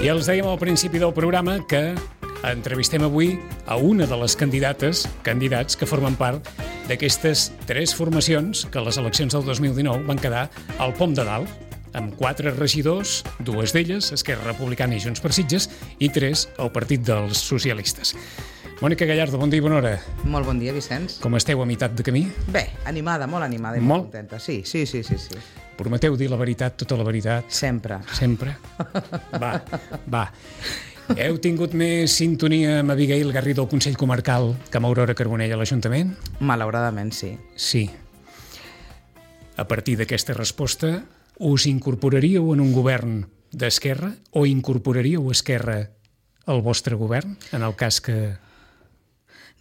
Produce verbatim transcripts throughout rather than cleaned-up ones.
I els dèiem al principi del programa que entrevistem avui a una de les candidates, candidats que formen part d'aquestes tres formacions que a les eleccions del dos mil dinou van quedar al pom de dalt, amb quatre regidors, dues d'elles, Esquerra Republicana i Junts per Sitges, i tres al Partit dels Socialistes. Mònica Gallardo, bon dia i bona hora. Molt bon dia, Vicenç. Com esteu a meitat de camí? Bé, animada, molt animada i molt, molt contenta. Sí, sí, sí, sí, sí. Prometeu dir la veritat, tota la veritat? Sempre. Sempre? Va, va. Heu tingut més sintonia amb Abigail Garrido al Consell Comarcal que amb Aurora Carbonell a l'Ajuntament? Malauradament, sí. Sí. A partir d'aquesta resposta, us incorporaríeu en un govern d'Esquerra o incorporaríeu Esquerra al vostre govern, en el cas que...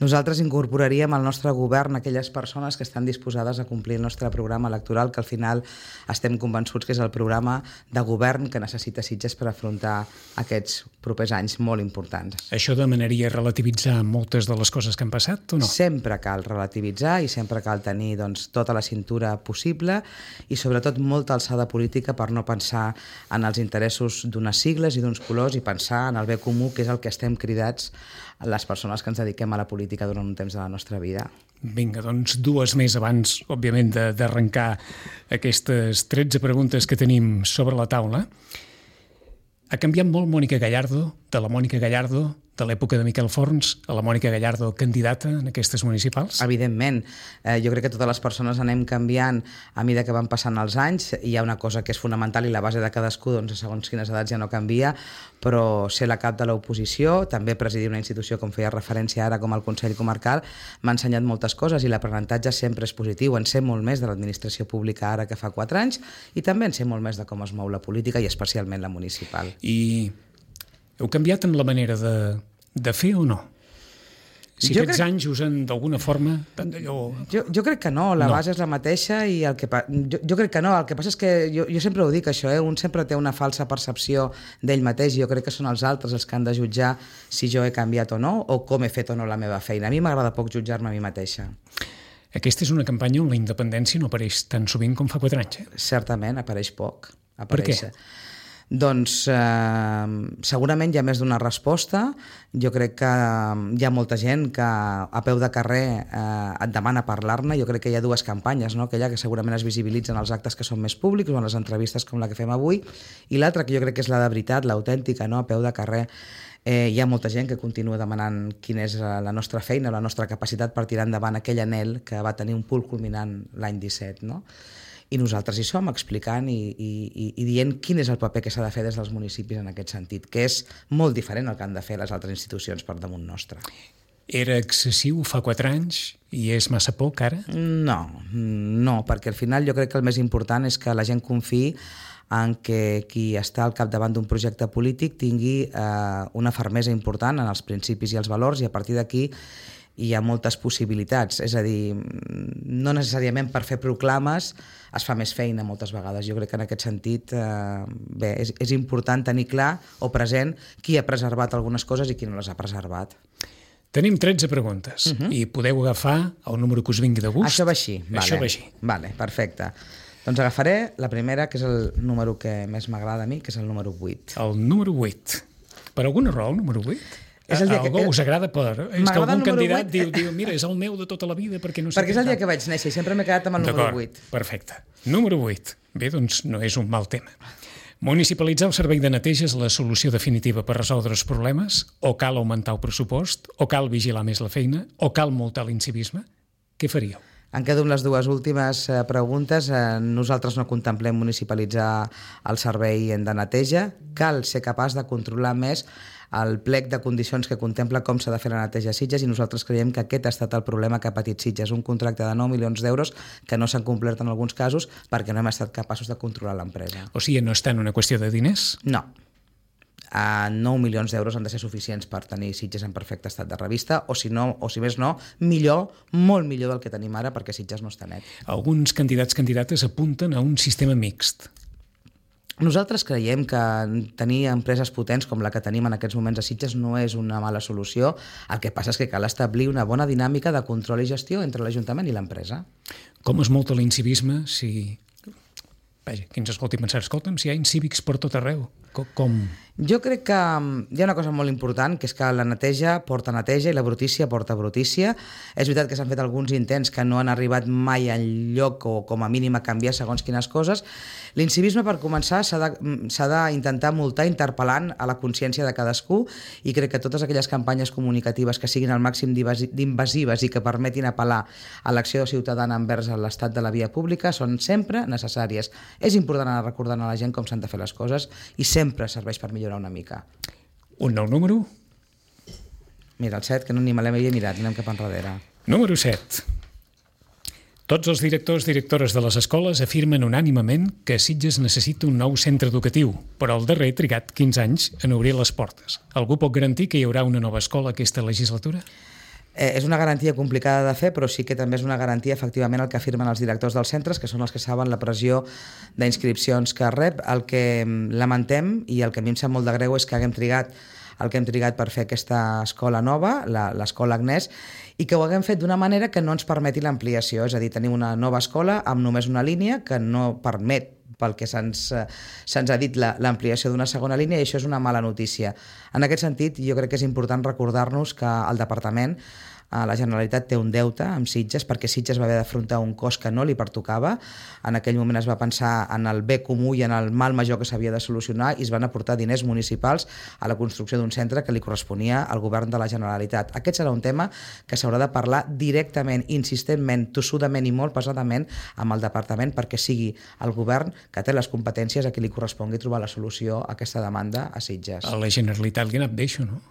Nosaltres incorporaríem al nostre govern aquelles persones que estan disposades a complir el nostre programa electoral, que al final estem convençuts que és el programa de govern que necessita Sitges per afrontar aquests propers anys molt importants. Això demanaria relativitzar moltes de les coses que han passat o no? Sempre cal relativitzar i sempre cal tenir doncs, tota la cintura possible i sobretot molta alçada política per no pensar en els interessos d'unes sigles i d'uns colors i pensar en el bé comú, que és el que estem cridats les persones que ens dediquem a la política durant un temps de la nostra vida. Vinga, doncs dues més abans, òbviament, d'arrencar aquestes tretze preguntes que tenim sobre la taula. Ha canviat molt Mònica Gallardo, de la Mònica Gallardo de l'època de Miquel Forns a la Mònica Gallardo candidata en aquestes municipals? Evidentment. Eh, jo crec que totes les persones anem canviant a mesura que van passant els anys. Hi ha una cosa que és fonamental i la base de cadascú, doncs, segons quines edats ja no canvia, però ser la cap de l'oposició, també presidir una institució, com feia referència ara, com el Consell Comarcal, m'ha ensenyat moltes coses i l'aprenentatge sempre és positiu. En sé molt més de l'administració pública ara que fa quatre anys i també en sé molt més de com es mou la política i especialment la municipal. I heu canviat en la manera de, de fer o no? Si jo aquests crec... anys usen d'alguna forma... Allò... Jo, jo crec que no, la no. base és la mateixa i el que pa... jo, jo crec que no, el que passa és que jo, jo sempre ho dic això, eh? Un sempre té una falsa percepció d'ell mateix i jo crec que són els altres els que han de jutjar si jo he canviat o no o com he fet o no la meva feina. A mi m'agrada poc jutjar-me a mi mateixa. Aquesta és una campanya on la independència no apareix tan sovint com fa quatre anys, eh? Certament, apareix poc. Apareix. Per què? Doncs eh, segurament hi ha més d'una resposta. Jo crec que hi ha molta gent que a peu de carrer eh, et demana parlar-ne. Jo crec que hi ha dues campanyes, no? Aquella que segurament es visibilitzen els actes que són més públics o en les entrevistes com la que fem avui, i l'altra que jo crec que és la de veritat, l'autèntica, no? A peu de carrer. Eh, hi ha molta gent que continua demanant quina és la nostra feina, la nostra capacitat per tirar endavant aquell anhel que va tenir un punt culminant l'any disset, no? I nosaltres hi som explicant i, i, i dient quin és el paper que s'ha de fer des dels municipis en aquest sentit, que és molt diferent el que han de fer les altres institucions per damunt nostre. Era excessiu fa quatre anys i és massa poc ara? No, no, perquè al final jo crec que el més important és que la gent confiï en que qui està al capdavant d'un projecte polític tingui eh, una fermesa important en els principis i els valors i a partir d'aquí hi ha moltes possibilitats, és a dir, no necessàriament per fer proclames es fa més feina moltes vegades. Jo crec que en aquest sentit eh, bé, és, és important tenir clar o present qui ha preservat algunes coses i qui no les ha preservat. Tenim tretze preguntes uh-huh. i podeu agafar el número que us vingui de gust. Això va així. Vale. Això va així. Vale, perfecte. Doncs agafaré la primera, que és el número que més m'agrada a mi, que és el número vuit. El número vuit. Per alguna raó, el número vuit? És el dia Algú que... us agrada per... És que algun candidat diu, diu, mira, és el meu de tota la vida perquè no sé... Perquè és el dia que vaig néixer i sempre m'he quedat amb el número vuit. Perfecte. Número vuit. Bé, doncs no és un mal tema. Municipalitzar el servei de neteja és la solució definitiva per resoldre els problemes? O cal augmentar el pressupost? O cal vigilar més la feina? O cal multar l'incivisme? Què faríeu? Em quedo amb les dues últimes eh, preguntes. Eh, nosaltres no contemplem municipalitzar el servei de neteja. Cal ser capaç de controlar més el plec de condicions que contempla com s'ha de fer la neteja a Sitges i nosaltres creiem que aquest ha estat el problema que ha patit Sitges, un contracte de nou milions d'euros que no s'han complert en alguns casos perquè no hem estat capaços de controlar l'empresa. O sigui, no és tant una qüestió de diners? No. A nou milions d'euros han de ser suficients per tenir Sitges en perfecte estat de revista o si no, o si més no, millor, molt millor del que tenim ara perquè Sitges no està net. Alguns candidats candidates apunten a un sistema mixt. Nosaltres creiem que tenir empreses potents com la que tenim en aquests moments a Sitges no és una mala solució. El que passa és que cal establir una bona dinàmica de control i gestió entre l'Ajuntament i l'empresa. Com es multa l'incivisme si... Vaja, qui ens escolti pensar, escolta'm, si hi ha incívics per tot arreu, com? Jo crec que hi ha una cosa molt important, que és que la neteja porta neteja i la brutícia porta brutícia. És veritat que s'han fet alguns intents que no han arribat mai en lloc o com a mínim a canviar segons quines coses. L'incivisme, per començar, s'ha d'intentar multar interpel·lant a la consciència de cadascú, i crec que totes aquelles campanyes comunicatives que siguin al màxim d'invasives i que permetin apel·lar a l'acció ciutadana envers l'estat de la via pública són sempre necessàries. És important anar recordant a la gent com s'han de fer les coses i sempre serveix per millorar una mica. Un nou número? Mira, el set, que no ni me l'havia mirat, anem cap enrere. Número set. Tots els directors i directores de les escoles afirmen unànimament que Sitges necessita un nou centre educatiu, però el darrer ha trigat quinze anys en obrir les portes. Algú pot garantir que hi haurà una nova escola aquesta legislatura? Eh, és una garantia complicada de fer, però sí que també és una garantia efectivament el que afirmen els directors dels centres, que són els que saben la pressió d'inscripcions que rep. El que lamentem, i el que a mi em sap molt de greu, és que haguem trigat el que hem trigat per fer aquesta escola nova, l'escola Agnès, i que ho haguem fet d'una manera que no ens permeti l'ampliació. És a dir, tenim una nova escola amb només una línia que no permet, pel que se'ns ha dit, l'ampliació d'una segona línia, i això és una mala notícia. En aquest sentit, jo crec que és important recordar-nos que el departament, la Generalitat, té un deute amb Sitges, perquè Sitges va haver d'afrontar un cost que no li pertocava. En aquell moment es va pensar en el bé comú i en el mal major que s'havia de solucionar, i es van aportar diners municipals a la construcció d'un centre que li corresponia al govern de la Generalitat. Aquest serà un tema que s'haurà de parlar directament, insistentment, tossudament i molt pesadament amb el departament, perquè sigui el govern que té les competències a qui li correspongui trobar la solució a aquesta demanda a Sitges. A la Generalitat li ha anat bé això, no?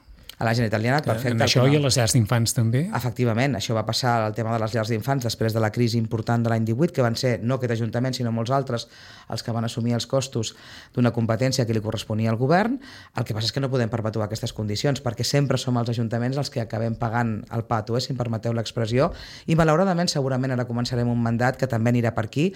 A la Generalitat li ha anat perfecte. En això i a les llars d'infants també? Efectivament, això va passar al tema de les llars d'infants després de la crisi important de l'any divuit, que van ser no aquest Ajuntament sinó molts altres els que van assumir els costos d'una competència que li corresponia al govern. El que passa és que no podem perpetuar aquestes condicions, perquè sempre som els ajuntaments els que acabem pagant el pato, eh, si em permeteu l'expressió, i malauradament segurament ara començarem un mandat que també anirà per aquí.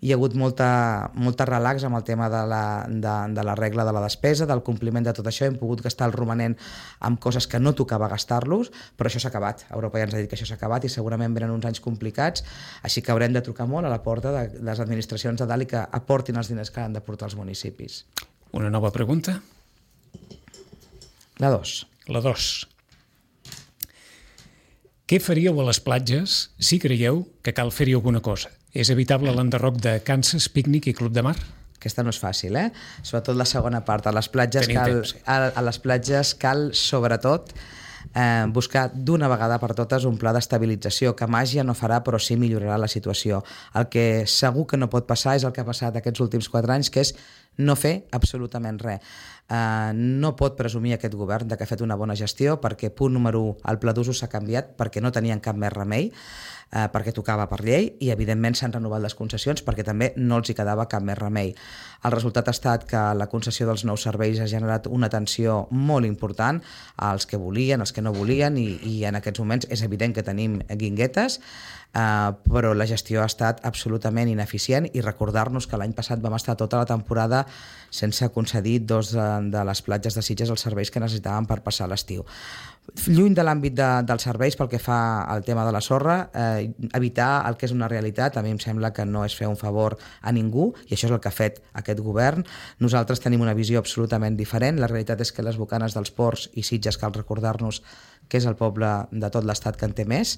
Hi ha hagut molta, molta relax amb el tema de la, de, de la regla de la despesa, del compliment de tot això. Hem pogut gastar el romanent amb coses que no tocava gastar-los, però això s'ha acabat. Europa ja ens ha dit que això s'ha acabat i segurament venen uns anys complicats, així que haurem de trucar molt a la porta de, de les administracions de dalt i que aportin els diners que han de portar els municipis. Una nova pregunta? La dos. La dos. Què faríeu a les platges si creieu que cal fer-hi alguna cosa? És evitable l'enderroc de Kansas, pícnic i club de mar? Aquesta no és fàcil, eh? Sobretot la segona part. A les platges, cal, a, a les platges cal sobretot, eh, buscar d'una vegada per totes un pla d'estabilització que màgia no farà, però sí millorarà la situació. El que segur que no pot passar és el que ha passat aquests últims quatre anys, que és no fer absolutament res. Uh, no pot presumir aquest govern de que ha fet una bona gestió, perquè, punt número un, el pla d'usos s'ha canviat perquè no tenien cap més remei, uh, perquè tocava per llei, i evidentment s'han renovat les concessions perquè també no els hi quedava cap més remei. El resultat ha estat que la concessió dels nous serveis ha generat una tensió molt important als que volien, als que no volien, i, i en aquests moments és evident que tenim guinguetes, Uh, però la gestió ha estat absolutament ineficient, i recordar-nos que l'any passat vam estar tota la temporada sense concedir dos de, de les platges de Sitges els serveis que necessitàvem per passar l'estiu. Lluny de l'àmbit de, dels serveis, pel que fa al tema de la sorra, eh, evitar el que és una realitat a mi em sembla que no és fer un favor a ningú, i això és el que ha fet aquest govern. Nosaltres tenim una visió absolutament diferent. La realitat és que les bocanes dels ports i Sitges, cal recordar-nos que és el poble de tot l'estat que en té més,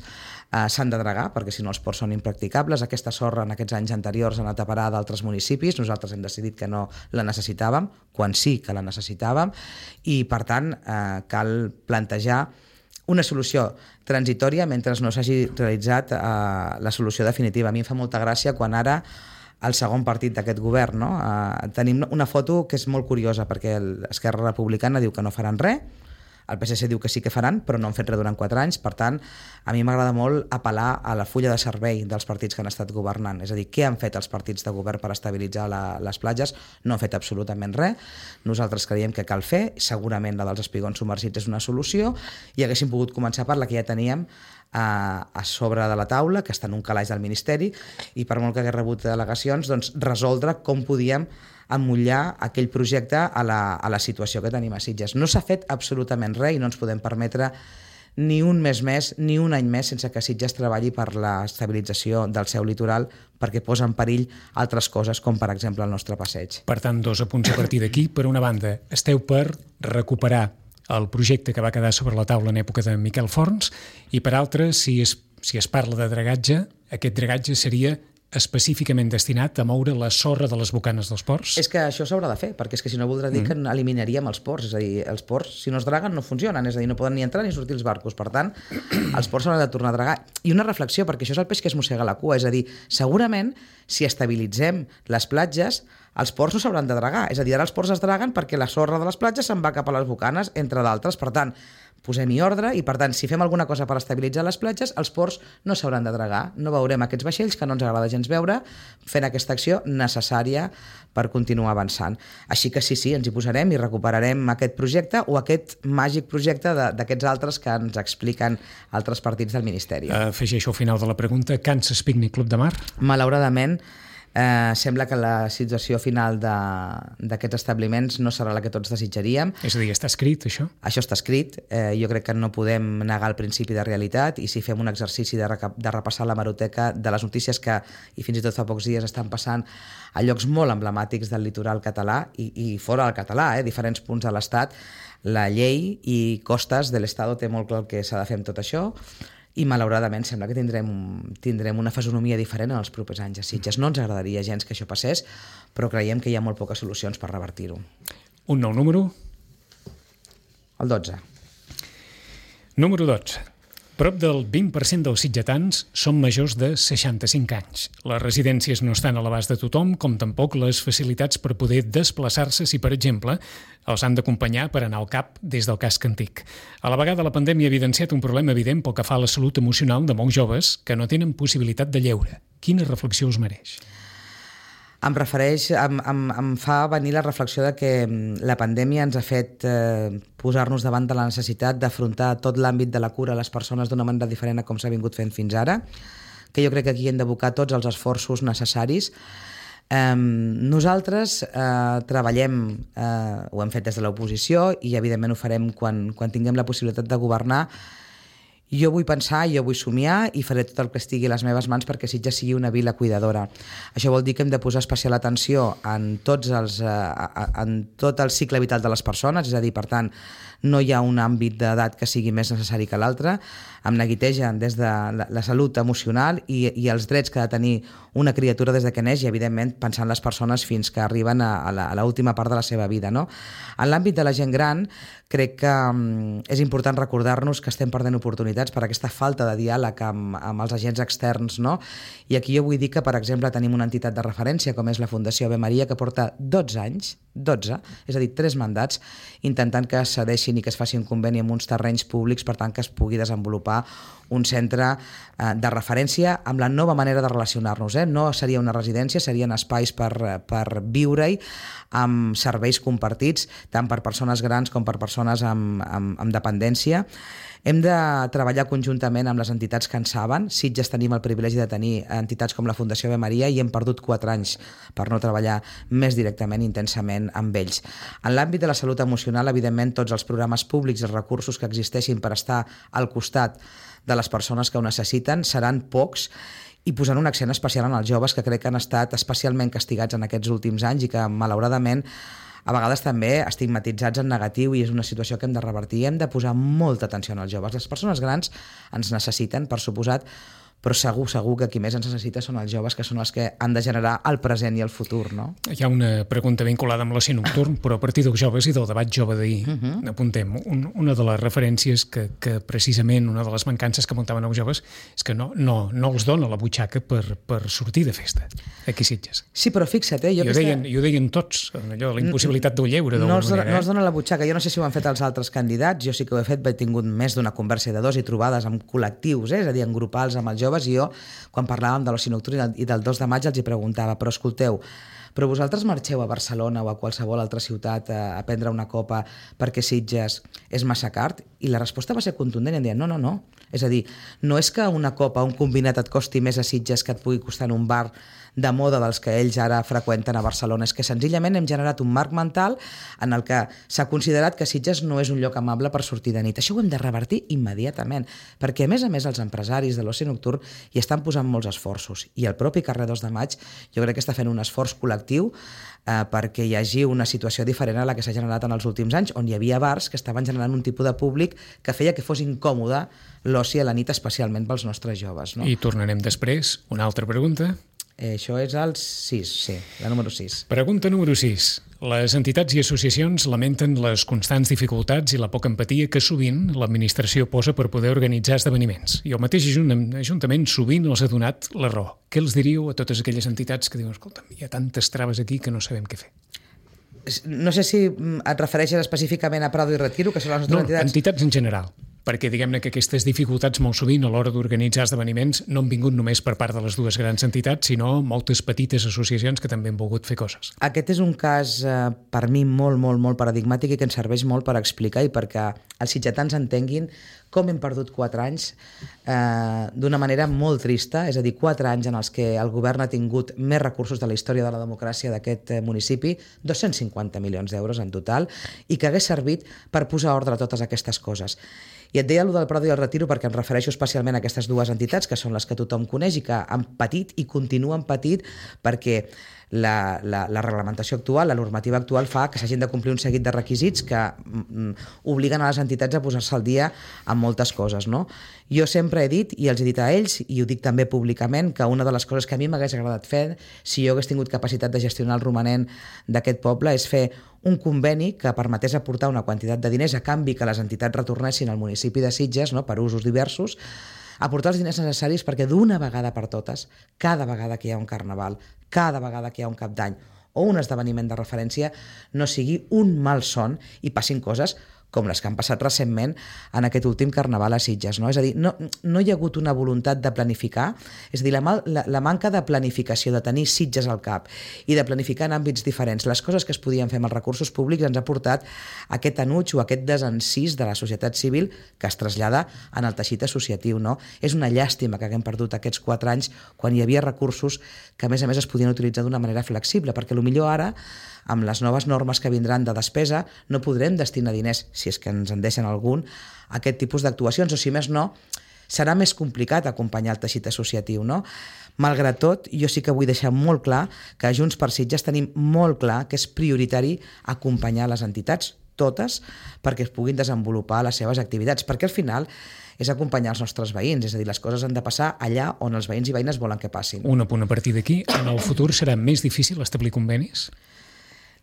eh, s'han de dragar, perquè si no els ports són impracticables. Aquesta sorra en aquests anys anteriors ha anat a parar d'altres municipis. Nosaltres hem decidit que no la necessitàvem, quan sí que la necessitàvem, i per tant eh, cal plantejar una solució transitòria mentre no s'hagi realitzat eh, la solució definitiva. A mi em fa molta gràcia quan ara el segon partit d'aquest govern, no? eh, tenim una foto que és molt curiosa, perquè l'Esquerra Republicana diu que no faran res, el P S C diu que sí que faran, però no han fet res durant quatre anys. Per tant, a mi m'agrada molt apel·lar a la fulla de servei dels partits que han estat governant. És a dir, què han fet els partits de govern per estabilitzar la, les platges? No han fet absolutament res. Nosaltres creiem que cal fer. Segurament la dels espigons submergits és una solució, i haguéssim pogut començar per la que ja teníem a, a sobre de la taula, que està en un calaix del Ministeri, i per molt que hagués rebut delegacions, doncs resoldre com podíem emmotllar aquell projecte a la, a la situació que tenim a Sitges. No s'ha fet absolutament res, i no ens podem permetre ni un mes més, ni un any més sense que Sitges treballi per l'estabilització del seu litoral, perquè posa en perill altres coses, com per exemple el nostre passeig. Per tant, dos apunts a partir d'aquí. Per una banda, esteu per recuperar el projecte que va quedar sobre la taula en època de Miquel Forns, i per altra, si es, si es parla de dragatge, aquest dragatge seria específicament destinat a moure la sorra de les bocanes dels ports? És que això s'haurà de fer, perquè és que si no voldrà dir mm. que eliminaríem els ports, és a dir, els ports, si no es draguen, no funcionen, és a dir, no poden ni entrar ni sortir els barcos, per tant, els ports s'hauran de tornar a dragar. I una reflexió, perquè això és el peix que es mossega la cua, és a dir, segurament, si estabilitzem les platges, els ports no s'hauran de dragar, és a dir, ara els ports es draguen perquè la sorra de les platges se'n va cap a les bocanes, entre d'altres, per tant, posem-hi ordre i, per tant, si fem alguna cosa per estabilitzar les platges, els ports no s'hauran de dragar. No veurem aquests vaixells que no ens agrada gens veure fent aquesta acció necessària per continuar avançant. Així que sí, sí, ens hi posarem i recuperarem aquest projecte o aquest màgic projecte d'aquests altres que ens expliquen altres partits del Ministeri. Afegeixo al final de la pregunta, Kansas Picnic Club de Mar? Malauradament, Eh, sembla que la situació final d'aquests establiments no serà la que tots desitjaríem. És a dir, està escrit, això? Això està escrit. Eh, jo crec que no podem negar el principi de realitat, i si fem un exercici de, de repassar l'hemeroteca de les notícies que, i fins i tot fa pocs dies, estan passant a llocs molt emblemàtics del litoral català i, i fora del català, eh, diferents punts de l'Estat, la llei i costes de l'Estat té molt clar que s'ha de fer amb tot això, i malauradament sembla que tindrem, tindrem una fisonomia diferent en els propers anys a Sitges. No ens agradaria gens que això passés, però creiem que hi ha molt poques solucions per revertir-ho. Un nou número? El dotze. Número dotze. Prop del vint per cent dels sitgetans són majors de seixanta-cinc anys. Les residències no estan a l'abast de tothom, com tampoc les facilitats per poder desplaçar-se si, per exemple, els han d'acompanyar per anar al cap des del casc antic. A la vegada, la pandèmia ha evidenciat un problema evident pel que fa a la salut emocional de molts joves que no tenen possibilitat de lleure. Quina reflexió us mereix? Em refereix, em, em, em fa venir la reflexió de que la pandèmia ens ha fet eh, posar-nos davant de la necessitat d'afrontar tot l'àmbit de la cura a les persones d'una manera diferent a com s'ha vingut fent fins ara, que jo crec que aquí hem d'abocar tots els esforços necessaris. Eh, nosaltres eh, treballem, eh, ho hem fet des de l'oposició i evidentment ho farem quan, quan tinguem la possibilitat de governar. Jo vull pensar, jo vull somiar i faré tot el que estigui a les meves mans perquè Sitges sigui una vila cuidadora. Això vol dir que hem de posar especial atenció en, tots els, en tot el cicle vital de les persones, és a dir, per tant, no hi ha un àmbit d'edat que sigui més necessari que l'altre. Em neguitegen des de la, la salut emocional i, i els drets que ha de tenir una criatura des de que neix i, evidentment, pensant les persones fins que arriben a, a l'última part de la seva vida, no? En l'àmbit de la gent gran, crec que um, és important recordar-nos que estem perdent oportunitats per aquesta falta de diàleg amb, amb els agents externs, no? I aquí jo vull dir que, per exemple, tenim una entitat de referència com és la Fundació Ave Maria, que porta dotze anys, dotze, és a dir, tres mandats, intentant que es cedeixin i que es faci un conveni amb uns terrenys públics, per tant que es pugui desenvolupar un centre eh, de referència amb la nova manera de relacionar-nos. Eh? No seria una residència, serien espais per, per viure-hi amb serveis compartits, tant per persones grans com per persones amb, amb, amb dependència. Hem de treballar conjuntament amb les entitats que en saben. Sitges tenim el privilegi de tenir entitats com la Fundació Ave Maria i hem perdut quatre anys per no treballar més directament, intensament amb ells. En l'àmbit de la salut emocional, evidentment, tots els programes públics i els recursos que existeixin per estar al costat de les persones que ho necessiten seran pocs, i posant un accent especial en els joves que crec que han estat especialment castigats en aquests últims anys i que, malauradament, a vegades també estigmatitzats en negatiu, i és una situació que hem de revertir. Hem de posar molta atenció en els joves. Les persones grans ens necessiten, per suposat, però segur, segur que qui més ens necessita són els joves, que són els que han de generar el present i el futur, no? Hi ha una pregunta vinculada amb l'oci nocturn, però a partir dels joves i del debat jove d'ahir, uh-huh. apuntem, un, una de les referències que, que precisament una de les mancances que apuntaven els joves és que no, no, no els dona la butxaca per, per sortir de festa, aquí Sitges. Sí, però fixa't, eh? Jo I ho deien, i ho deien tots, allò, la impossibilitat del lleure, no d'alguna manera. Eh? No els dona la butxaca. Jo no sé si ho han fet els altres candidats, jo sí que ho he fet, he tingut més d'una conversa de dos i trobades amb col·lectius, eh? És a dir, en grupals amb els joves, i jo, quan parlàvem de l'oci nocturn i del dos de maig, els hi preguntava, però escolteu, però vosaltres marxeu a Barcelona o a qualsevol altra ciutat a, a prendre una copa perquè Sitges és massa car? I la resposta va ser contundent i em deien no, no, no. És a dir, no és que una copa, un combinat et costi més a Sitges que et pugui costar en un bar de moda dels que ells ara freqüenten a Barcelona. És que senzillament hem generat un marc mental en el que s'ha considerat que Sitges no és un lloc amable per sortir de nit. Això ho hem de revertir immediatament, perquè a més a més els empresaris de l'oci nocturn hi estan posant molts esforços i el propi carrer dos de maig jo crec que està fent un esforç col·lectiu eh, perquè hi hagi una situació diferent a la que s'ha generat en els últims anys, on hi havia bars que estaven generant un tipus de públic que feia que fos incòmode l'oci a la nit, especialment pels nostres joves. No? I tornarem després. Una altra pregunta. Eh, això és el sis, sí, la número sis. Pregunta número sis. Les entitats i associacions lamenten les constants dificultats i la poca empatia que sovint l'administració posa per poder organitzar esdeveniments. I el mateix Ajuntament sovint els ha donat la raó. Què els diríeu a totes aquelles entitats que diuen escolta, hi ha tantes traves aquí que no sabem què fer? No sé si et refereixes específicament a Prado i Retiro, que són les nostres no, entitats. entitats en general. Perquè diguem-ne que aquestes dificultats molt sovint a l'hora d'organitzar esdeveniments no han vingut només per part de les dues grans entitats, sinó moltes petites associacions que també han volgut fer coses. Aquest és un cas, eh, per mi, molt, molt, molt paradigmàtic i que ens serveix molt per explicar i perquè els sitgetans entenguin com hem perdut quatre anys eh, d'una manera molt trista, és a dir, quatre anys en els que el govern ha tingut més recursos de la història de la democràcia d'aquest municipi, dos-cents cinquanta milions d'euros en total, i que hagués servit per posar ordre a totes aquestes coses. I et deia allò del Prado i el Retiro perquè em refereixo especialment a aquestes dues entitats que són les que tothom coneix i que han patit i continuen patint perquè la, la, la reglamentació actual, la normativa actual fa que s'hagin de complir un seguit de requisits que mm, obliguen a les entitats a posar-se al dia amb moltes coses, no? Jo sempre he dit, i els he dit a ells, i ho dic també públicament, que una de les coses que a mi m'hagués agradat fer, si jo hagués tingut capacitat de gestionar el romanent d'aquest poble, és fer un conveni que permetés aportar una quantitat de diners a canvi que les entitats retornessin al municipi de Sitges, no, per usos diversos, aportar els diners necessaris perquè d'una vegada per totes, cada vegada que hi ha un carnaval, cada vegada que hi ha un cap d'any o un esdeveniment de referència, no sigui un mal son i passin coses com les que han passat recentment en aquest últim carnaval a Sitges. No? És a dir, no, no hi ha hagut una voluntat de planificar, és a dir, la, la, la manca de planificació, de tenir Sitges al cap i de planificar en àmbits diferents. Les coses que es podien fer amb els recursos públics ens ha portat aquest enuig o aquest desencís de la societat civil que es trasllada en el teixit associatiu. No? És una llàstima que haguem perdut aquests quatre anys quan hi havia recursos que a més a més es podien utilitzar d'una manera flexible, perquè potser ara amb les noves normes que vindran de despesa no podrem destinar diners, si és que ens en deixen algun, a aquest tipus d'actuacions, o si més no, serà més complicat acompanyar el teixit associatiu, no? Malgrat tot, jo sí que vull deixar molt clar que a Junts per Sitges tenim molt clar que és prioritari acompanyar les entitats, totes, perquè es puguin desenvolupar les seves activitats, perquè al final és acompanyar els nostres veïns, és a dir, les coses han de passar allà on els veïns i veïnes volen que passin. Un apunt a partir d'aquí, en el futur serà més difícil establir convenis?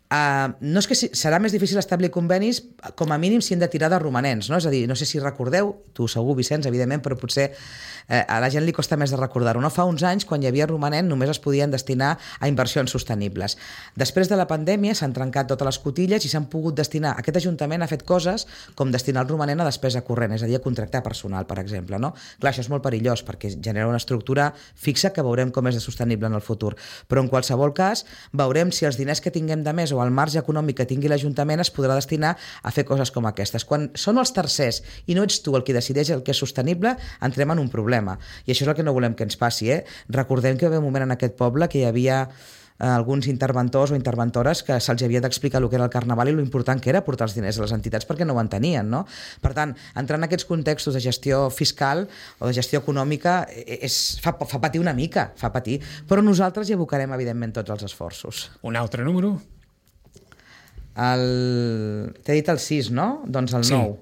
Uh, no és que si, serà més difícil establir convenis, com a mínim si hem de tirar de romanents, no? És a dir, no sé si recordeu, tu segur, Vicenç, evidentment, però potser eh, a la gent li costa més de recordar-ho. No? Fa uns anys, quan hi havia romanent, només es podien destinar a inversions sostenibles. Després de la pandèmia s'han trencat totes les cotilles i s'han pogut destinar, aquest Ajuntament ha fet coses com destinar el romanent a despesa corrent, és a dir, a contractar personal, per exemple. No? Clar, això és molt perillós, perquè genera una estructura fixa que veurem com és de sostenible en el futur. Però en qualsevol cas, veurem si els diners que tinguem de més o el marge econòmic que tingui l'Ajuntament es podrà destinar a fer coses com aquestes. Quan són els tercers i no ets tu el qui decideix el que és sostenible, entrem en un problema. I això és el que no volem que ens passi. Eh? Recordem que hi havia un moment en aquest poble que hi havia eh, alguns interventors o interventores que se'ls havia d'explicar el que era el carnaval i lo important que era portar els diners a les entitats perquè no ho entenien. No? Per tant, entrar en aquests contextos de gestió fiscal o de gestió econòmica és, fa, fa patir una mica, fa patir. Però nosaltres hi abocarem, evidentment, tots els esforços. Un altre número? El... T'he dit el sis, no? Doncs el sí. nou.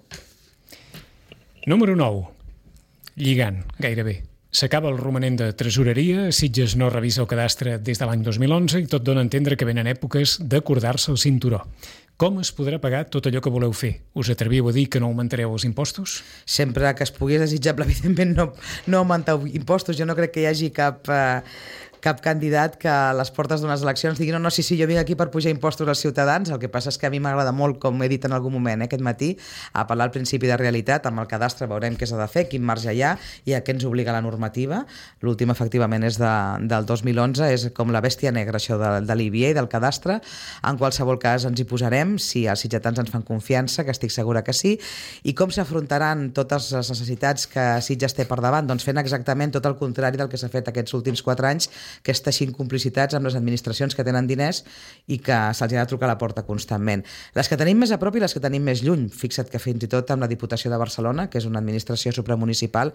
Número nou. Lligant, gairebé. S'acaba el romanent de tresoreria, Sitges no revisa el cadastre des de l'any dos mil onze i tot dona a entendre que venen èpoques d'acordar-se el cinturó. Com es podrà pagar tot allò que voleu fer? Us atreviu a dir que no augmentareu els impostos? Sempre que es pugui desitjable, evidentment, no, no augmentar impostos. Jo no crec que hi hagi cap... Eh, cap candidat que a les portes d'unes eleccions digui no, no, sí, sí, jo vinc aquí per pujar impostos als ciutadans. El que passa és que a mi m'agrada molt, com he dit en algun moment eh, aquest matí, a parlar al principi de realitat. Amb el cadastre veurem què s'ha de fer, quin marge hi ha i a què ens obliga la normativa. L'últim, efectivament, és de, del dos mil onze, és com la bèstia negra, això de, de l'I B I A i del cadastre. En qualsevol cas ens hi posarem, si els sitgetans ens fan confiança, que estic segura que sí. I com s'afrontaran totes les necessitats que Sitges té per davant? Doncs fent exactament tot el contrari del que s'ha fet aquests últims quatre anys, que és teixint complicitats amb les administracions que tenen diners i que se'ls ha de trucar a la porta constantment. Les que tenim més a prop i les que tenim més lluny. Fixa't que fins i tot amb la Diputació de Barcelona, que és una administració supramunicipal,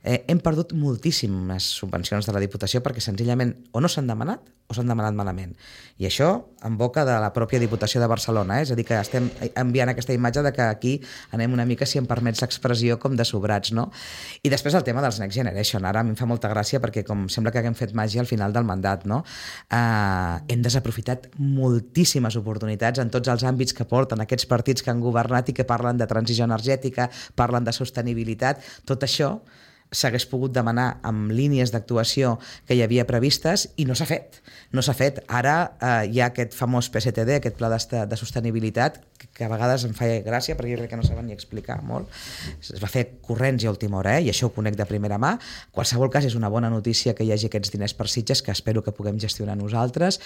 eh, hem perdut moltíssimes subvencions de la Diputació perquè senzillament o no s'han demanat o s'han demanat malament. I això en boca de la pròpia Diputació de Barcelona, eh? És a dir, que estem enviant aquesta imatge de que aquí anem una mica, si em permets l'expressió, com de sobrats, no? I després el tema dels Next Generation. Ara a mi em fa molta gràcia perquè com sembla que haguem fet màgia al final del mandat, no? Eh, hem desaprofitat moltíssimes oportunitats en tots els àmbits que porten aquests partits que han governat i que parlen de transició energètica, parlen de sostenibilitat. Tot això s'hagués pogut demanar amb línies d'actuació que hi havia previstes i no s'ha fet. No s'ha fet. Ara eh, hi ha aquest famós P S T D, aquest pla de, de sostenibilitat, que, que a vegades em fa gràcia perquè jo crec que no saben ni explicar molt. Es va fer corrents i a última hora, eh? I això ho conec de primera mà. En qualsevol cas és una bona notícia que hi hagi aquests diners per Sitges, que espero que puguem gestionar nosaltres.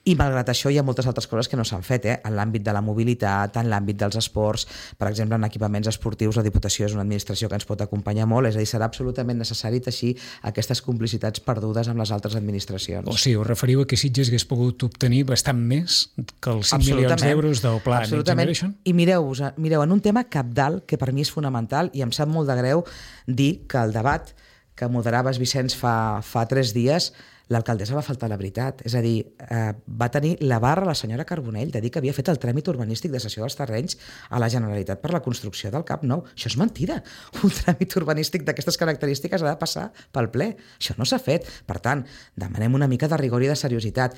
I malgrat això hi ha moltes altres coses que no s'han fet, eh? En l'àmbit de la mobilitat, en l'àmbit dels esports, per exemple, en equipaments esportius, la Diputació és una administració que ens pot acompanyar molt, és a dir, serà absolutament necessari teixir aquestes complicitats perdudes amb les altres administracions. O sigui, us referiu a que Sitges hagués pogut obtenir bastant més que els cinc milions d'euros del pla Next Generation? I mireu, mireu, en un tema cabdal que per mi és fonamental i em sap molt de greu dir que el debat que moderaves, Vicenç, fa, fa tres dies, l'alcaldessa va faltar la veritat. És a dir, eh, va tenir la barra la senyora Carbonell de dir que havia fet el tràmit urbanístic de cessió dels terrenys a la Generalitat per la construcció del Camp Nou. Això és mentida. Un tràmit urbanístic d'aquestes característiques ha de passar pel ple. Això no s'ha fet. Per tant, demanem una mica de rigor i de seriositat.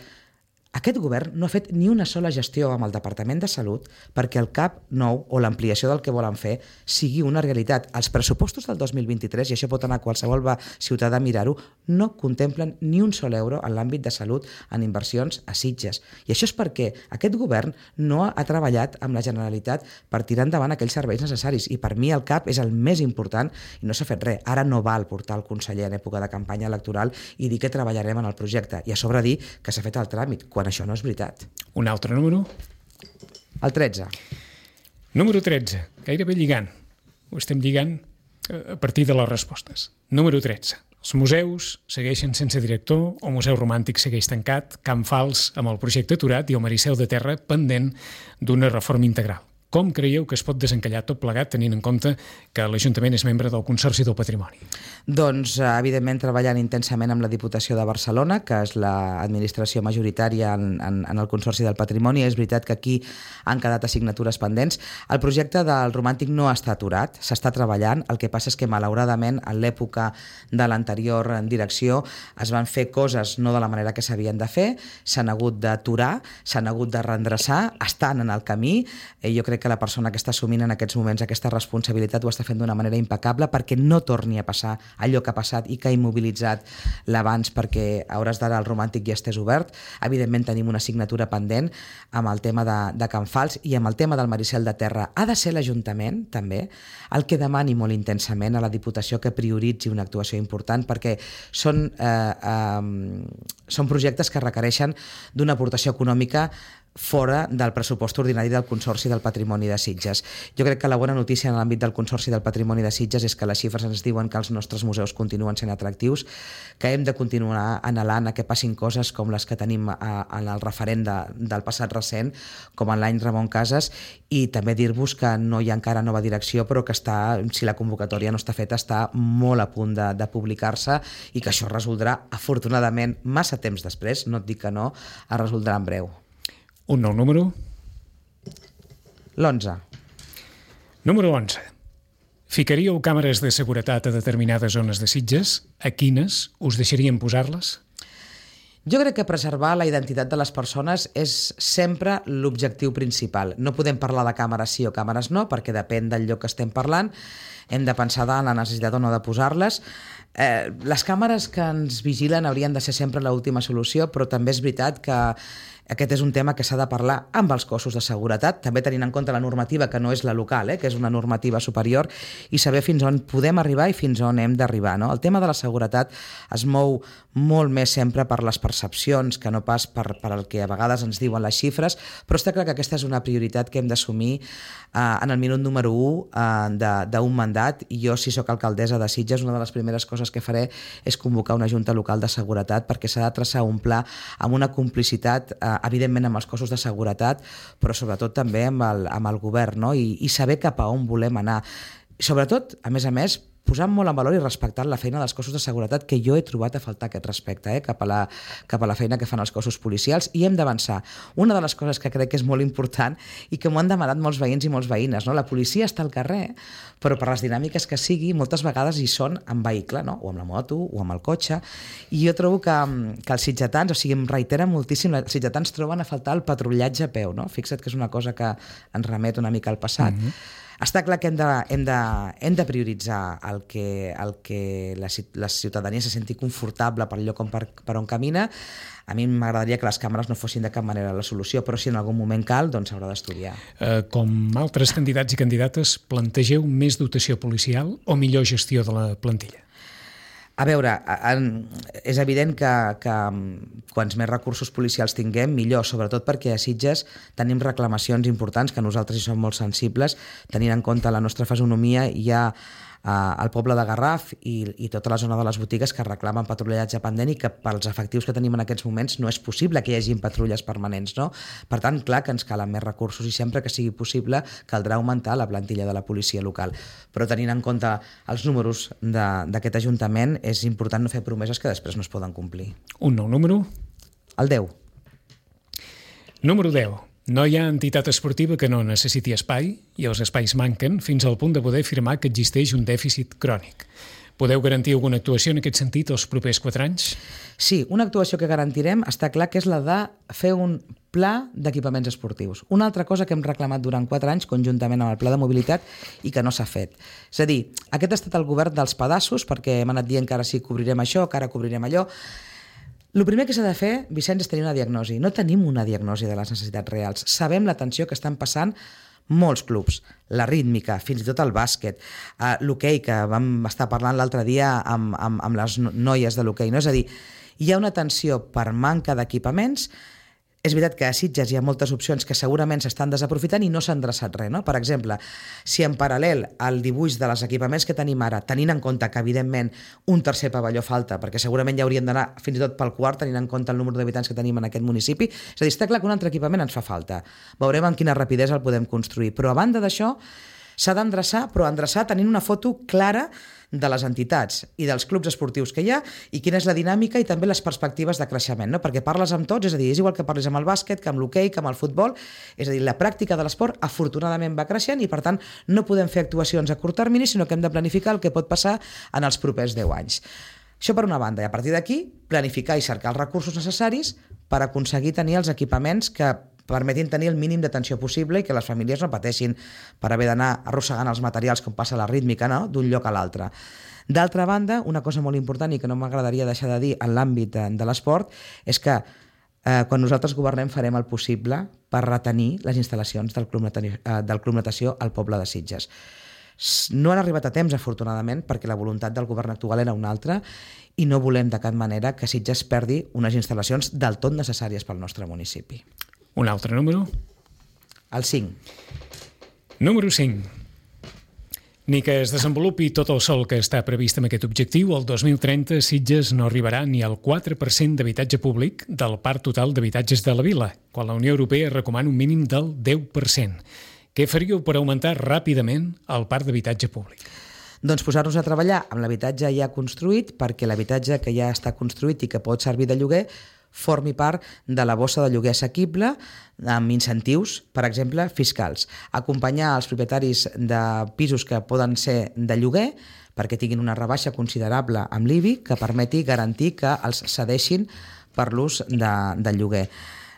Aquest govern no ha fet ni una sola gestió amb el Departament de Salut perquè el Camp Nou o l'ampliació del que volen fer sigui una realitat. Els pressupostos del dos mil vint-i-tres, i això pot anar a qualsevol ciutadà a mirar-ho, no contemplen ni un sol euro en l'àmbit de salut en inversions a Sitges. I això és perquè aquest govern no ha treballat amb la Generalitat per tirar endavant aquells serveis necessaris. I per mi el Cap és el més important i no s'ha fet res. Ara no val portar el conseller en època de campanya electoral i dir que treballarem en el projecte. I a sobre dir que s'ha fet el tràmit, quan això no és veritat. Un altre número? El tretze. Número tretze, gairebé lligant. Ho estem lligant a partir de les respostes. Número tretze. Els museus segueixen sense director, el Museu Romàntic segueix tancat, Can Fals amb el projecte aturat i el Maricel de Terra pendent d'una reforma integral. Com creieu que es pot desencallar tot plegat tenint en compte que l'Ajuntament és membre del Consorci del Patrimoni? Doncs, evidentment, treballant intensament amb la Diputació de Barcelona, que és l'administració majoritària en, en, en el Consorci del Patrimoni. És veritat que aquí han quedat assignatures pendents. El projecte del Romàntic no està aturat, s'està treballant. El que passa és que, malauradament, en l'època de l'anterior direcció es van fer coses no de la manera que s'havien de fer, s'han hagut d'aturar, s'han hagut de reendreçar, estan en el camí. Eh, jo crec que la persona que està assumint en aquests moments aquesta responsabilitat ho està fent d'una manera impecable perquè no torni a passar allò que ha passat i que ha immobilitzat l'abans, perquè a hores d'ara el Romàntic ja estés obert. Evidentment tenim una assignatura pendent amb el tema de, de Can Fals i amb el tema del Maricel de Terra. Ha de ser l'Ajuntament, també, el que demani molt intensament a la Diputació que prioritzi una actuació important, perquè són, eh, eh, són projectes que requereixen d'una aportació econòmica fora del pressupost ordinari del Consorci del Patrimoni de Sitges. Jo crec que la bona notícia en l'àmbit del Consorci del Patrimoni de Sitges és que les xifres ens diuen que els nostres museus continuen sent atractius, que hem de continuar anhelant a que passin coses com les que tenim en el referent de, del passat recent, com en l'any Ramon Casas, i també dir-vos que no hi ha encara nova direcció, però que està, si la convocatòria no està feta, està molt a punt de, de publicar-se i que això resoldrà, afortunadament, massa temps després, no et dic que no, es resoldrà en breu. Un nou número? L'onze. Número onze. Ficaríeu càmeres de seguretat a determinades zones de Sitges? A quines us deixarien posar-les? Jo crec que preservar la identitat de les persones és sempre l'objectiu principal. No podem parlar de càmeres sí o càmeres no, perquè depèn del lloc que estem parlant. hem de pensar en la necessitat o no de posar-les. Eh, les càmeres que ens vigilen haurien de ser sempre l'última solució, però també és veritat que aquest és un tema que s'ha de parlar amb els cossos de seguretat, també tenint en compte la normativa que no és la local, eh, que és una normativa superior, i saber fins on podem arribar i fins on hem d'arribar. No? El tema de la seguretat es mou molt més sempre per les percepcions que no pas per, per el que a vegades ens diuen les xifres, però està clar que aquesta és una prioritat que hem d'assumir eh, en el minut número u eh, d'un mandat, i jo, si sóc alcaldessa de Sitges, una de les primeres coses que faré és convocar una junta local de seguretat, perquè s'ha de traçar un pla amb una complicitat eh, evidentment amb els cossos de seguretat, però sobretot també amb el, amb el govern, no? I, i saber cap a on volem anar. Sobretot, a més a més, posant molt en valor i respectant la feina dels cossos de seguretat, que jo he trobat a faltar aquest respecte eh, cap, a la, cap a la feina que fan els cossos policials, i hem d'avançar. Una de les coses que crec que és molt important i que m'ho han demanat molts veïns i molts veïnes, no? La policia està al carrer, però per les dinàmiques que sigui, moltes vegades hi són en vehicle, no? O amb la moto o amb el cotxe, i jo trobo que, que els sitgetans, o sigui, em reiteren moltíssim, els sitgetans troben a faltar el patrullatge a peu, no? Fixa't que és una cosa que ens remet una mica al passat. Mm-hmm. Està clar que hem de, hem de, hem de prioritzar el que, el que la, la ciutadania se senti confortable per lloc on, per, per on camina. A mi m'agradaria que les càmeres no fossin de cap manera la solució, però si en algun moment cal, doncs s'haurà d'estudiar. Eh, com altres candidats i candidates, plantegeu més dotació policial o millor gestió de la plantilla? A veure, és evident que, que quants més recursos policials tinguem, millor, sobretot perquè a Sitges tenim reclamacions importants que nosaltres hi som molt sensibles, tenint en compte la nostra fisonomia. Hi ha al poble de Garraf i, i tota la zona de les botigues que reclamen patrullatge pendent i que pels efectius que tenim en aquests moments no és possible que hi hagi patrulles permanents, no? Per tant, clar que ens calen més recursos i sempre que sigui possible caldrà augmentar la plantilla de la policia local. Però tenint en compte els números d'aquest Ajuntament és important no fer promeses que després no es poden complir. Un nou número? El deu. Número deu. No hi ha entitat esportiva que no necessiti espai i els espais manquen fins al punt de poder afirmar que existeix un dèficit crònic. Podeu garantir alguna actuació en aquest sentit els propers quatre anys? Sí, una actuació que garantirem està clar que és la de fer un pla d'equipaments esportius. Una altra cosa que hem reclamat durant quatre anys conjuntament amb el pla de mobilitat i que no s'ha fet. És a dir, aquest ha estat el govern dels pedaços, perquè hem anat dient que ara sí cobrirem això, que ara cobrirem allò. El primer que s'ha de fer, Vicenç, és tenir una diagnosi. No tenim una diagnosi de les necessitats reals. Sabem la tensió que estan passant molts clubs, la rítmica, fins i tot el bàsquet, uh, l'hoquei, que vam estar parlant l'altre dia amb, amb, amb les noies de l'hoquei. No? És a dir, hi ha una tensió per manca d'equipaments. És veritat que a Sitges hi ha moltes opcions que segurament s'estan desaprofitant i no s'ha endreçat res. No? Per exemple, si en paral·lel al dibuix de les equipaments que tenim ara, tenint en compte que evidentment un tercer pavelló falta, perquè segurament ja hauríem d'anar fins i tot pel quart, tenint en compte el número d'habitants que tenim en aquest municipi, és a dir, està clar que un altre equipament ens fa falta. Veurem amb quina rapidesa el podem construir. Però a banda d'això, s'ha d'endreçar, però endreçar tenint una foto clara de les entitats i dels clubs esportius que hi ha i quina és la dinàmica i també les perspectives de creixement, no? Perquè parles amb tots, és a dir, és igual que parlis amb el bàsquet, que amb l'hoquei, que amb el futbol, és a dir, la pràctica de l'esport afortunadament va creixent i per tant no podem fer actuacions a curt termini, sinó que hem de planificar el que pot passar en els propers deu anys. Això per una banda, i a partir d'aquí planificar i cercar els recursos necessaris per aconseguir tenir els equipaments que permetin tenir el mínim d'atenció possible i que les famílies no pateixin per haver d'anar arrossegant els materials com passa a la rítmica, no? D'un lloc a l'altre. D'altra banda, una cosa molt important i que no m'agradaria deixar de dir en l'àmbit de l'esport és que eh, quan nosaltres governem farem el possible per retenir les instal·lacions del Club Natació, eh, del Club Natació al poble de Sitges. No han arribat a temps, afortunadament, perquè la voluntat del govern actual era una altra i no volem de cap manera que Sitges perdi unes instal·lacions del tot necessàries pel nostre municipi. Un altre número? El cinc. Número cinc. Ni que es desenvolupi tot el sol que està previst amb aquest objectiu, el dos mil trenta Sitges no arribarà ni al quatre per cent d'habitatge públic del parc total d'habitatges de la vila, quan la Unió Europea recomana un mínim del deu per cent. Què faríeu per augmentar ràpidament el parc d'habitatge públic? Doncs posar-nos a treballar amb l'habitatge ja construït, perquè l'habitatge que ja està construït i que pot servir de lloguer formi part de la bossa de lloguer assequible amb incentius, per exemple, fiscals. Acompanyar els propietaris de pisos que poden ser de lloguer perquè tinguin una rebaixa considerable amb l'I B I que permeti garantir que els cedeixin per l'ús de, de lloguer.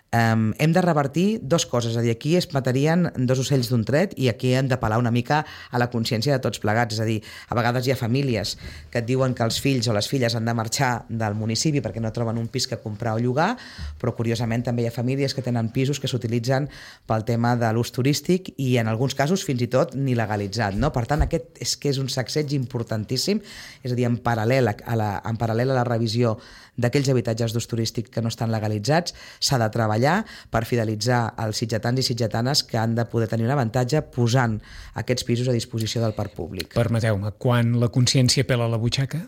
Um, hem de revertir dues coses, és a dir, aquí es matarien dos ocells d'un tret i aquí hem d'apel·lar una mica a la consciència de tots plegats, és a dir, a vegades hi ha famílies que et diuen que els fills o les filles han de marxar del municipi perquè no troben un pis que comprar o llogar, però curiosament també hi ha famílies que tenen pisos que s'utilitzen pel tema de l'ús turístic i en alguns casos fins i tot ni legalitzat, no? Per tant, aquest és que és un sacseig importantíssim, és a dir, en paral·lel a la, en paral·lel a la revisió d'aquells habitatges d'ús turístic que no estan legalitzats, s'ha de treballar per fidelitzar els sitgetans i sitgetanes que han de poder tenir un avantatge posant aquests pisos a disposició del parc públic. Permeteu-me, quan la consciència pela la butxaca?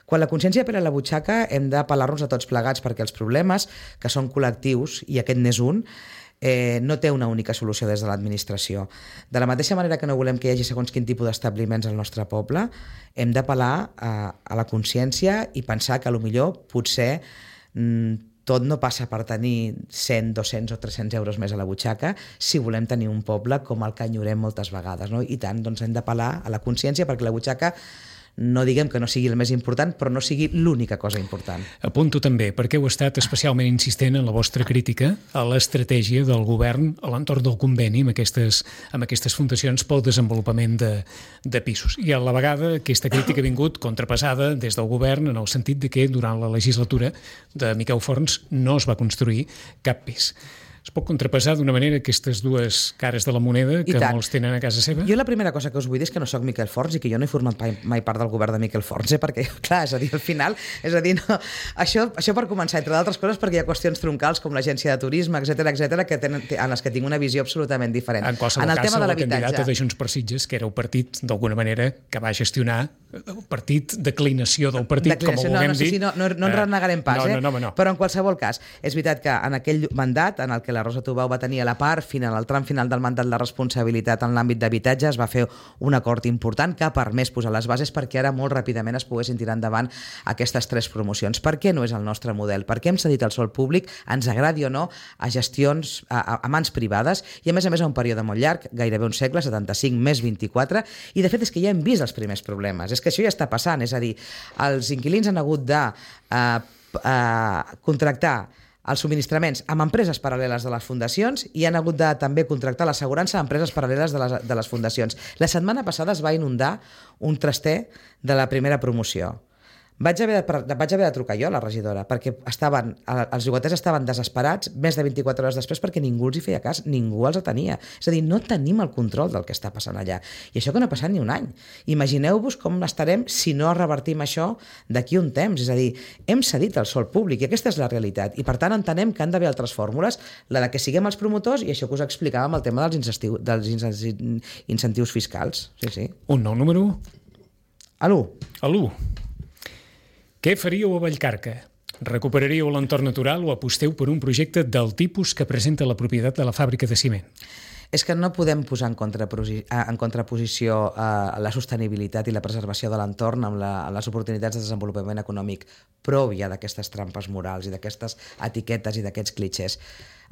Quan la consciència pela la butxaca hem d'apel·lar-nos a tots plegats perquè els problemes, que són col·lectius, i aquest n'és un, Eh, no té una única solució des de l'administració. De la mateixa manera que no volem que hi hagi segons quin tipus d'establiments al nostre poble, hem d'apel·lar a, a la consciència i pensar que potser potser mm, tot no passa per tenir cent, dos-cents o tres-cents euros més a la butxaca si volem tenir un poble com el que enyorem moltes vegades, no? I tant, doncs hem d'apel·lar a la consciència perquè la butxaca no diguem que no sigui el més important, però no sigui l'única cosa important. Apunto també, perquè heu estat especialment insistent en la vostra crítica a l'estratègia del govern a l'entorn del conveni amb aquestes, amb aquestes fundacions pel desenvolupament de, de pisos. I a la vegada aquesta crítica ha vingut contrapassada des del govern en el sentit de que durant la legislatura de Miquel Forns no es va construir cap pis. Es pot contrapassar d'una manera aquestes dues cares de la moneda que molts tenen a casa seva? Jo la primera cosa que us vull dir és que no sóc Miquel Forns i que jo no he format mai part del govern de Miquel Forns, eh? Perquè, clar, és a dir, al final, és a dir, no, això, això per començar, entre d'altres coses, perquè hi ha qüestions troncals com l'agència de turisme, etcètera, etcètera, que tenen, en les que tinc una visió absolutament diferent. En qualsevol en el cas, tema de la candidata de Junts per Sitges, que era un partit, d'alguna manera, que va gestionar el partit, declinació del partit, declinació, com ho vulguem no, no, dir. Sí, no, no, no en renegarem pas, no, eh? No, no, no. Però en qualsevol cas, és veritat que en aquell mandat, en el que la Rosa Tubau va tenir a la part final, al tram final del mandat de responsabilitat en l'àmbit d'habitatge, es va fer un acord important que ha permès posar les bases perquè ara molt ràpidament es poguessin tirar endavant aquestes tres promocions. Per què no és el nostre model? Per què hem cedit el sòl públic, ens agradi o no, a gestions, a, a, a mans privades i a més a més a un període molt llarg, gairebé un segle, setanta-cinc més vint-i-quatre, i de fet és que ja hem vist els primers problemes, és que això ja està passant, és a dir, els inquilins han hagut de eh, eh, contractar els subministraments amb empreses paral·leles de les fundacions i han hagut de també contractar l'assegurança a empreses paral·leles de les, de les fundacions. La setmana passada es va inundar un traster de la primera promoció. Vaig haver, de, vaig haver de trucar jo a la regidora perquè estaven, els llogaters estaven desesperats més de vint-i-quatre hores després perquè ningú els hi feia cas, ningú els atenia. És a dir, no tenim el control del que està passant allà. I això que no ha passat ni un any. Imagineu-vos com estarem si no revertim això d'aquí un temps. És a dir, hem cedit el sòl públic i aquesta és la realitat. I per tant entenem que han d'haver altres fórmules, la de que siguem els promotors i això que us explicàvem el tema dels, incentius, dels incentius fiscals. Sí, sí. Un nou número? A l'u. A l'u. Què faríeu a Vallcarca? Recuperaríeu l'entorn natural o aposteu per un projecte del tipus que presenta la propietat de la fàbrica de ciment? És que no podem posar en, en contraposició eh, la sostenibilitat i la preservació de l'entorn amb, la, amb les oportunitats de desenvolupament econòmic. Prou ja d'aquestes trampes morals i d'aquestes etiquetes i d'aquests clitxers.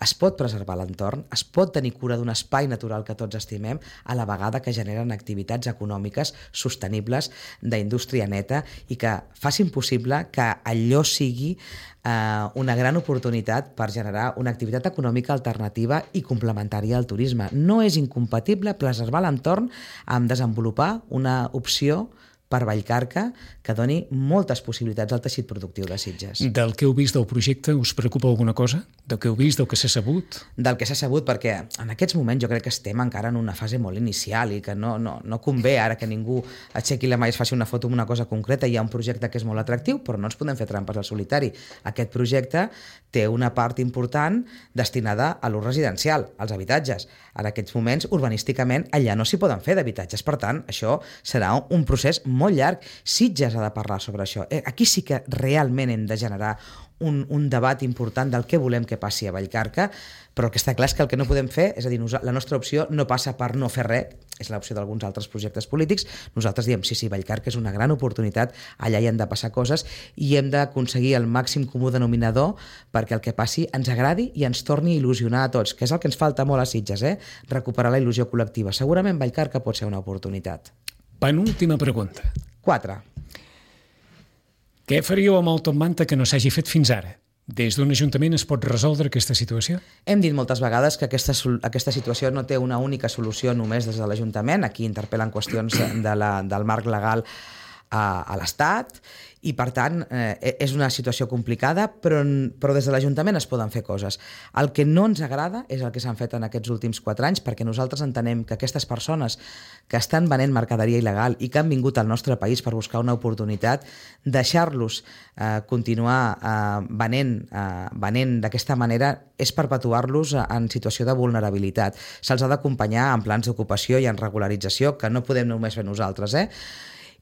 Es pot preservar l'entorn, es pot tenir cura d'un espai natural que tots estimem a la vegada que generen activitats econòmiques sostenibles d'indústria neta i que facin possible que allò sigui eh, una gran oportunitat per generar una activitat econòmica alternativa i complementària al turisme. No és incompatible preservar l'entorn amb desenvolupar una opció per Vallcarca que doni moltes possibilitats al teixit productiu de Sitges. Del que heu vist del projecte us preocupa alguna cosa? Del que heu vist, del que s'ha sabut? Del que s'ha sabut, perquè en aquests moments jo crec que estem encara en una fase molt inicial i que no, no, no convé ara que ningú aixequi la mà i es faci una foto amb una cosa concreta. Hi ha un projecte que és molt atractiu, però no ens podem fer trampes al solitari. Aquest projecte té una part important destinada a l'ús residencial, als habitatges. En aquests moments, urbanísticament, allà no s'hi poden fer d'habitatges. Per tant, això serà un procés molt llarg. Sitges ha de parlar sobre això. Aquí sí que realment hem de generar un, un debat important del què volem que passi a Vallcarca, però el que està clar és que el que no podem fer, és a dir, la nostra opció no passa per no fer res, és l'opció d'alguns altres projectes polítics. Nosaltres diem, sí, sí, Vallcarca és una gran oportunitat, allà hi han de passar coses i hem d'aconseguir el màxim comú denominador perquè el que passi ens agradi i ens torni a il·lusionar a tots, que és el que ens falta molt a Sitges, eh? Recuperar la il·lusió col·lectiva. Segurament Vallcarca pot ser una oportunitat. Penúltima pregunta. Quatre. Què faríeu amb el top manta que no s'hagi fet fins ara? Des d'un ajuntament es pot resoldre aquesta situació? Hem dit moltes vegades que aquesta, aquesta situació no té una única solució només des de l'Ajuntament. Aquí interpel·len qüestions de la, del marc legal a, a l'Estat i, per tant, eh, és una situació complicada, però, però des de l'Ajuntament es poden fer coses. El que no ens agrada és el que s'han fet en aquests últims quatre anys, perquè nosaltres entenem que aquestes persones que estan venent mercaderia il·legal i que han vingut al nostre país per buscar una oportunitat, deixar-los eh, continuar eh, venent, eh, venent d'aquesta manera és perpetuar-los en situació de vulnerabilitat. Se'ls ha d'acompanyar en plans d'ocupació i en regularització, que no podem només fer nosaltres, eh?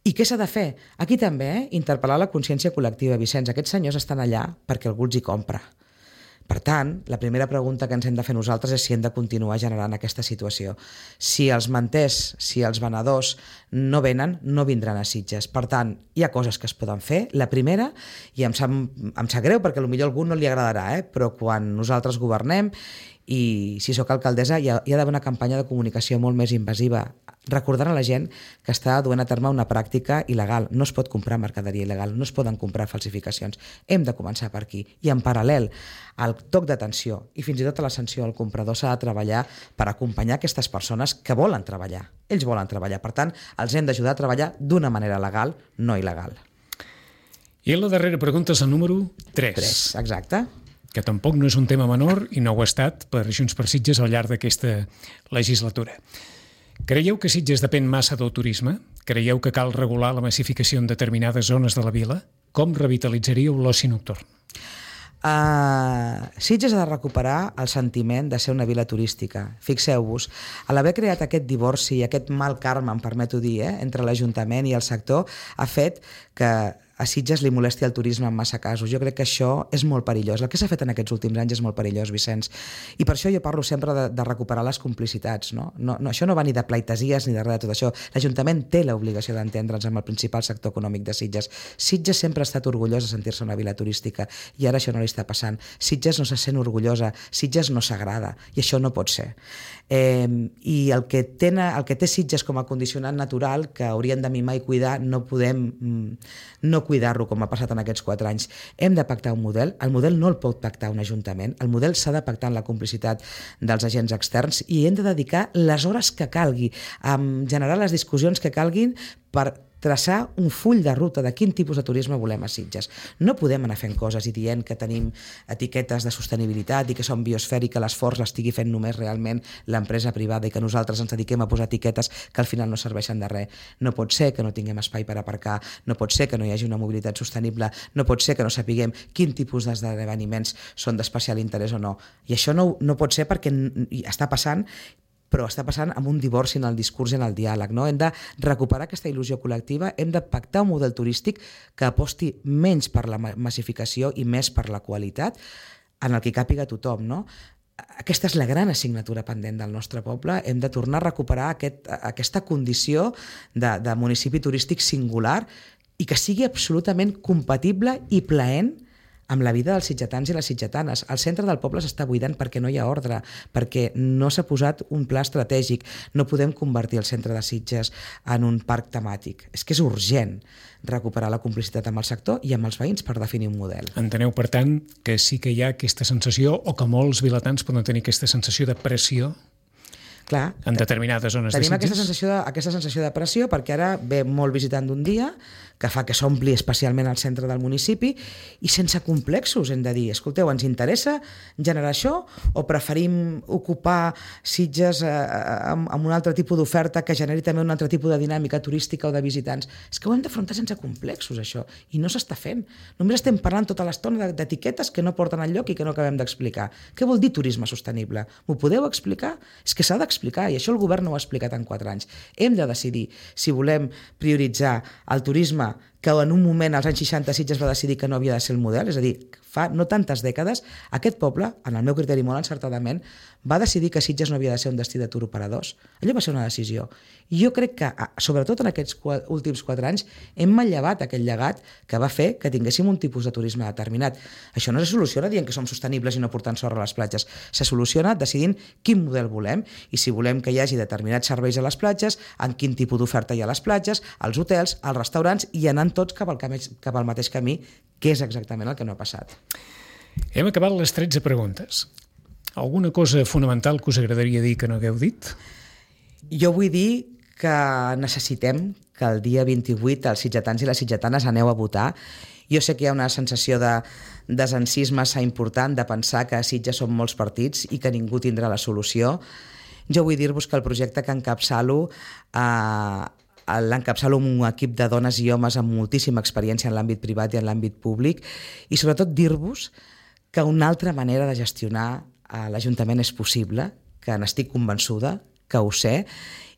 I què s'ha de fer? Aquí també, eh? interpel·lar la consciència col·lectiva. Vicenç, aquests senyors estan allà perquè algú els hi compra. Per tant, la primera pregunta que ens hem de fer nosaltres és si hem de continuar generant aquesta situació. Si els manters, si els venedors no venen, no vindran a Sitges. Per tant, hi ha coses que es poden fer. La primera, i em sap, em sap greu perquè potser a algú no li agradarà, eh? però quan nosaltres governem i si sóc alcaldessa hi ha, hi ha d'haver una campanya de comunicació molt més invasiva, recordant a la gent que està duent a terme una pràctica il·legal. No es pot comprar mercaderia il·legal, no es poden comprar falsificacions. Hem de començar per aquí. I en paral·lel al toc d'atenció i fins i tot a la sanció al comprador s'ha de treballar per acompanyar aquestes persones que volen treballar. Ells volen treballar. Per tant, els hem d'ajudar a treballar d'una manera legal, no il·legal. I la darrera pregunta és el número tres. tres, exacte. Que tampoc no és un tema menor i no ho ha estat per Junts per Sitges al llarg d'aquesta legislatura. Creieu que Sitges depèn massa del turisme? Creieu que cal regular la massificació en determinades zones de la vila? Com revitalitzaríeu l'oci nocturn? Uh, Sitges ha de recuperar el sentiment de ser una vila turística. Fixeu-vos, a l'haver creat aquest divorci i aquest mal karma, em permeto dir, eh, entre l'Ajuntament i el sector, ha fet que a Sitges li molesti el turisme en massa casos. Jo crec que això és molt perillós. El que s'ha fet en aquests últims anys és molt perillós, Vicenç. I per això jo parlo sempre de, de recuperar les complicitats. No? No, no, això no va ni de pleitesies ni de res de tot això. L'Ajuntament té l'obligació d'entendre'ns amb el principal sector econòmic de Sitges. Sitges sempre ha estat orgullós de sentir-se una vila turística i ara això no li està passant. Sitges no se sent orgullosa, Sitges no s'agrada i això no pot ser. Eh, I el que, tena, el que té Sitges com a condicionant natural que haurien de mimar i cuidar no podem no cuidar-lo com ha passat en aquests quatre anys. Hem de pactar un model. El model no el pot pactar un ajuntament. El model s'ha de pactar en la complicitat dels agents externs i hem de dedicar les hores que calgui a generar les discussions que calguin per traçar un full de ruta de quin tipus de turisme volem a Sitges. No podem anar fent coses i dient que tenim etiquetes de sostenibilitat i que som biosfera i que l'esforç l'estigui fent només realment l'empresa privada i que nosaltres ens dediquem a posar etiquetes que al final no serveixen de res. No pot ser que no tinguem espai per aparcar, no pot ser que no hi hagi una mobilitat sostenible, no pot ser que no sapiguem quin tipus d'esdeveniments són d'especial interès o no. I això no, no pot ser perquè està passant però està passant amb un divorci en el discurs i en el diàleg. No? Hem de recuperar aquesta il·lusió col·lectiva, hem de pactar un model turístic que aposti menys per la massificació i més per la qualitat, en el que càpiga tothom. No? Aquesta és la gran assignatura pendent del nostre poble. Hem de tornar a recuperar aquest, aquesta condició de, de municipi turístic singular i que sigui absolutament compatible i plaent amb la vida dels sitgetans i les sitgetanes. El centre del poble s'està buidant perquè no hi ha ordre, perquè no s'ha posat un pla estratègic. No podem convertir el centre de Sitges en un parc temàtic. És que és urgent recuperar la complicitat amb el sector i amb els veïns per definir un model. Enteneu, per tant, que sí que hi ha aquesta sensació, o que molts vilatans poden tenir aquesta sensació de pressió Clar, en determinades zones de Sitges? Tenim aquesta sensació de, aquesta sensació de pressió perquè ara ve molt visitant d'un dia que fa que s'ompli especialment al centre del municipi i sense complexos hem de dir, escolteu, ens interessa generar això o preferim ocupar Sitges eh, amb, amb un altre tipus d'oferta que generi també un altre tipus de dinàmica turística o de visitants? És que ho hem d'afrontar sense complexos, això, i no s'està fent. Només estem parlant tota l'estona d'etiquetes que no porten enlloc i que no acabem d'explicar. Què vol dir turisme sostenible? M'ho podeu explicar? És que s'ha d'explicar, i això el govern no ho ha explicat en quatre anys. Hem de decidir si volem prioritzar el turisme que en un moment, als anys seixanta, Sitges va decidir que no havia de ser el model, és a dir, fa no tantes dècades, aquest poble, en el meu criteri molt encertadament, va decidir que Sitges no havia de ser un destí de tour operadors. Allò va ser una decisió. I jo crec que, sobretot en aquests últims quatre anys, hem manllevat aquell llegat que va fer que tinguéssim un tipus de turisme determinat. Això no se soluciona dient que som sostenibles i no portant sorra a les platges. Se soluciona decidint quin model volem i si volem que hi hagi determinats serveis a les platges, en quin tipus d'oferta hi ha a les platges, als hotels, als restaurants i anant tots cap al, camí, cap al mateix camí, que és exactament el que no ha passat. Hem acabat les tretze preguntes. Alguna cosa fonamental que us agradaria dir que no hagueu dit? Jo vull dir que necessitem que el dia vint-i-vuit els sitgetans i les sitgetanes aneu a votar. Jo sé que hi ha una sensació de desencís massa important de pensar que a Sitges són molts partits i que ningú tindrà la solució. Jo vull dir-vos que el projecte que encapçalo eh, l'encapçalo amb un equip de dones i homes amb moltíssima experiència en l'àmbit privat i en l'àmbit públic, i sobretot dir-vos que una altra manera de gestionar a l'Ajuntament és possible, que n'estic convençuda, que ho sé,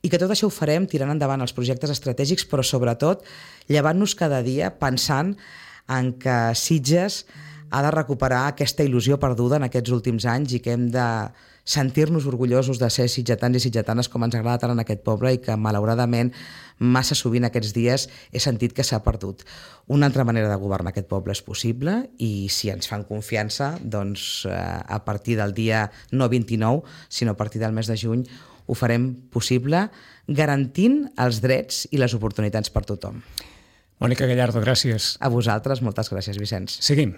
i que tot això ho farem tirant endavant els projectes estratègics, però sobretot llevant-nos cada dia pensant en que Sitges ha de recuperar aquesta il·lusió perduda en aquests últims anys i que hem de sentir-nos orgullosos de ser sitgetans i sitgetanes com ens agrada tant en aquest poble i que malauradament massa sovint aquests dies he sentit que s'ha perdut. Una altra manera de governar aquest poble és possible i si ens fan confiança, doncs eh, a partir del dia no vint-i-nou, sinó a partir del mes de juny ho farem possible garantint els drets i les oportunitats per tothom. Mònica Gallardo, gràcies. A vosaltres, moltes gràcies, Vicenç. Seguim.